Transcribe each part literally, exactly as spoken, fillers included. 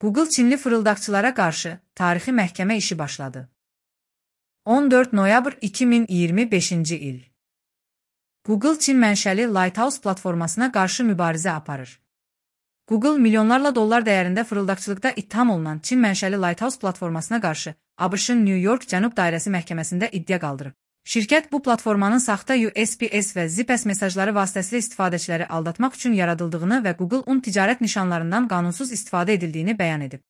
Google Çinli fırıldaqçılara qarşı tarixi məhkəmə işi başladı. on dörd noyabr iki min iyirmi beşinci il. Google Çin mənşəli Lighthouse platformasına qarşı mübarizə aparır. Google milyonlarla dollar dəyərində fırıldaqçılıqda ittiham olunan Çin mənşəli Lighthouse platformasına qarşı ABŞ-ın New York Cənub Dairəsi məhkəməsində iddia qaldırıb. Şirkət bu platformanın saxta U S P S və Zips mesajları vasitəsilə istifadəçiləri aldatmaq üçün yaradıldığını və Google un ticarət nişanlarından qanunsuz istifadə edildiyini bəyan edib.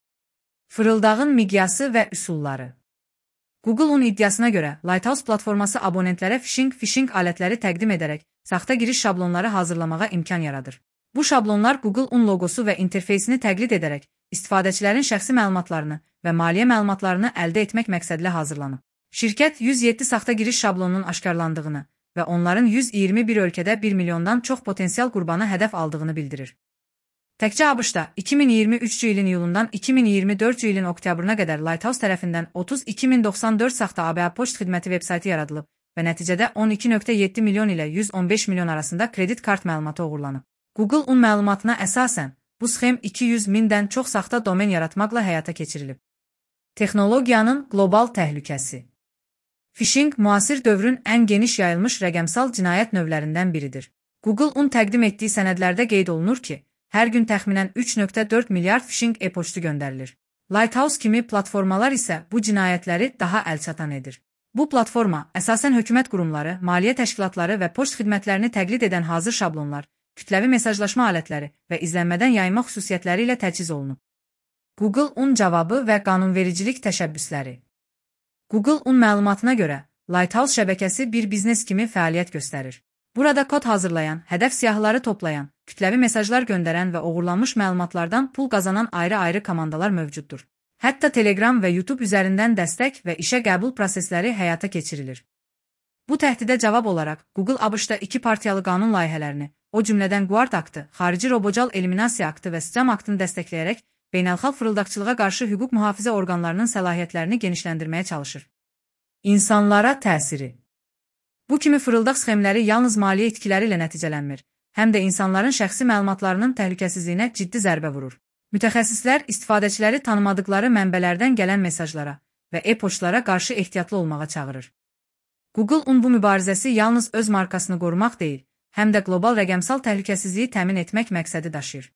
Fırıldağın miqyası və üsulları. Google un iddiasına görə Lighthouse platforması abonentlərə phishing phishing alətləri təqdim edərək saxta giriş şablonları hazırlamağa imkan yaradır. Bu şablonlar Google un loqosu və interfeysini təqlid edərək istifadəçilərin şəxsi məlumatlarını və maliyyə məlumatlarını əldə etmək məqsədilə hazırlanıb. Şirkət yüz yeddi saxta giriş şablonunun aşkarlandığını və onların yüz iyirmi bir ölkədə bir milyondan çox potensial qurbanı hədəf aldığını bildirir. Təkcə ABŞ-da iki min iyirmi üçüncü ilin iyulundan iki min iyirmi dördüncü ilin oktyabrına qədər Lighthouse tərəfindən otuz iki min doxsan dörd saxta A B A poçt xidməti veb-sayti yaradılıb və nəticədə on iki nöqtə yeddi milyon ilə yüz on beş milyon arasında kredit kart məlumatı oğurlanıb. Google un məlumatına əsasən bu sxem iki yüz mindən çox saxta domen yaratmaqla həyata keçirilib. Texnologiyanın qlobal təhlükəsi. Phishing müasir dövrün ən geniş yayılmış rəqəmsal cinayət növlərindən biridir. Google un təqdim etdiyi sənədlərdə qeyd olunur ki, hər gün təxminən üç nöqtə dörd milyard phishing e-poçtu göndərilir. Lighthouse kimi platformalar isə bu cinayətləri daha əlçatan edir. Bu platforma əsasən hökumət qurumları, maliyyə təşkilatları və poçt xidmətlərini təqlid edən hazır şablonlar, kütləvi mesajlaşma alətləri və izlənmədən yayma xüsusiyyətləri ilə təchiz olunub. Google un cavabı və qanunvericilik təşəbbüsləri. Google un məlumatına görə Lighthouse şəbəkəsi bir biznes kimi fəaliyyət göstərir. Burada kod hazırlayan, hədəf siyahıları toplayan, kütləvi mesajlar göndərən və oğurlanmış məlumatlardan pul qazanan ayrı-ayrı komandalar mövcuddur. Hətta Telegram və YouTube üzərindən dəstək və işə qəbul prosesləri həyata keçirilir. Bu təhdidə cavab olaraq Google ABŞ-da iki partiyalı qanun layihələrini, o cümlədən Guard aktı, xarici robocal eliminasiya aktı və Scam aktını dəstəkləyərək beynəlxalq fırıldaqçılığa qarşı hüquq mühafizə orqanlarının səlahiyyətlərini genişləndirməyə çalışır. İnsanlara təsiri. Bu kimi fırıldaq sxemləri yalnız maliyyə itkiləri ilə nəticələnmir, həm də insanların şəxsi məlumatlarının təhlükəsizliyinə ciddi zərbə vurur. Mütəxəssislər istifadəçiləri tanımadıqları mənbələrdən gələn mesajlara və e-poçtlara qarşı ehtiyatlı olmağa çağırır. Google un bu mübarizəsi yalnız öz markasını qorumaq deyil, həm də qlobal rəqəmsal təhlükəsizliyi təmin etmək məqsədi daşıyır.